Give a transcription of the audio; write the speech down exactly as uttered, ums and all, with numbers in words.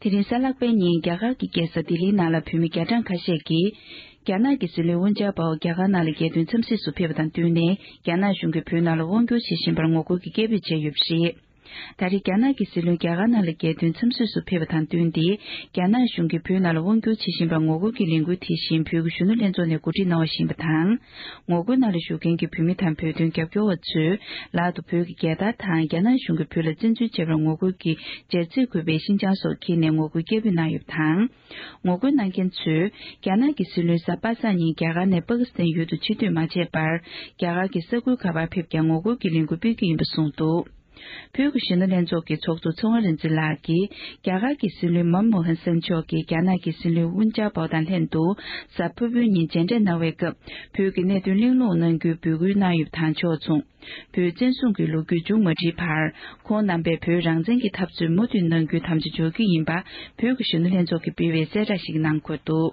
དེ་རིང་གཟའ་ལྷག་པའི་ཉིན་རྒྱ་གར་གྱི་རྒྱལ་ས་ལྡི་ལིའི་ནང་ལ་བོད་མི་བརྒྱ་གྲངས་ཁ་ཤས་ཀྱིས། རྒྱ་ནག་གི་སྲིད་བློན་ཝུན་ཅཱ་པའོ་རྒྱ་གར་ནང་ལ་རྒྱལ་དོན་འཚམས་གཟིགས་སུ་ཕེབས་པ་དང་བསྟུན་ནས། རྒྱ་ནག་གཞུང་གིས་བོད་ནང་ལ་དབང་བསྒྱུར་བྱེད་བཞིན་པར་ངོ་རྒོལ་གྱི་སྐད་འབོད་བྱས་ཡོད་པ་རེད། ད་རེས་རྒྱ་ནག་གི་སྲིད་བློན་རྒྱ་གར་ནང་ལ་རྒྱལ་དོན་འཚམས་གཟིགས་སུ་ཕེབས་པ་དང་བསྟུན་ཏེ། རྒྱ་ནག་གཞུང་གིས་བོད་ནང་ལ་དབང་བསྒྱུར་བྱེད་བཞིན་པར་ངོ་རྒོལ་གྱི་ལས་འགུལ་དེ་བཞིན་བོད་ཀྱི་གཞོན་ནུ་ལྷན་ཚོགས་ནས་གོ་སྒྲིག་གནང་བ་ཞིག་ཡིན་པ་དང་། ངོ་རྒོལ་ནང་ལ་ཞུགས་མཁན་གྱི་བོད་མི་དང་བོད་དོན་རྒྱབ་སྐྱོར་བ་ཚོས། ལག་ཏུ་བོད་ཀྱི་རྒྱལ་དར་དང་། རྒྱ་ནག་གཞུང་གིས་བོད་ལ་བཙན་འཛུལ་བྱས་པར་ངོ་རྒོལ་གྱི་སྦྱར་ཚིག་འཁོད་པའི་ཤིན་ཅང་སོགས་འཁྱེར་ནས་ངོ་རྒོལ་སྐད་འབོད་གནང་ཡོད་པ་དང་། ངོ་རྒོལ་གནང་མཁན་ཚོས། རྒྱ་ནག་གི་སྲིད་བློན་གཟའ་པ་སངས་ཉིན་རྒྱ་གར་ནས་པ་ཀི་སི་ཐན་ཡུལ་དུ་ཕྱིར་སྡོད་མ་བྱས་པར། རྒྱ་གར་གྱི་ས་ཁུལ་ག་པར་ཕེབས་ཀྱང་ངོ་རྒོལ་གྱི་ལས་འགུལ་སྤེལ་རྒྱུ་ཡིན་པ་གསུངས་འདུག། བོད་ཀྱི་གཞོན་ནུ་ལྷན་ཚོགས་ཀྱི་ཚོགས་གཙོ་ཚེ་དབང་རིག་འཛིན་ལགས་ཀྱིས། རྒྱ་གར་གྱི་སྲིད་བློན་མོན་མོ་ཧན་སིན་མཆོག་གིས་རྒྱ་ནག་གི་སྲིད་བློན་ཝུན་ཅཱ་པའོ་དང་ལྷན་དུ། གཟའ་ཕུར་བུའི་ཉིན་མཇལ་འཕྲད་གནང་བའི་སྐབས། བོད་ཀྱི་གནད་དོན་གླེང་སློང་གནང་རྒྱུའི་འབོད་སྐུལ་གནང་ཡོད་པ་དང་ཕྱོགས་མཚུངས། བོད་བཙན་བཟུང་གི་ལོ་རྒྱུས་མཇུག་མ་སྒྲིལ་བར། ཁོང་རྣམ་པས་བོད་རང་བཙན་གྱི་འཐབ་རྩོད་མུ་མཐུད་གནང་རྒྱུའི་དམ་བཅའ་འཇོག་རྒྱུ་ཡིན་པ། བོད་ཀྱི་གཞོན་ནུ་ལྷན་ཚོགས་ཀྱིས་སྤེལ་བའི་གསལ་བསྒྲགས་ཤིག་གི་ནང་འཁོད་འདུག།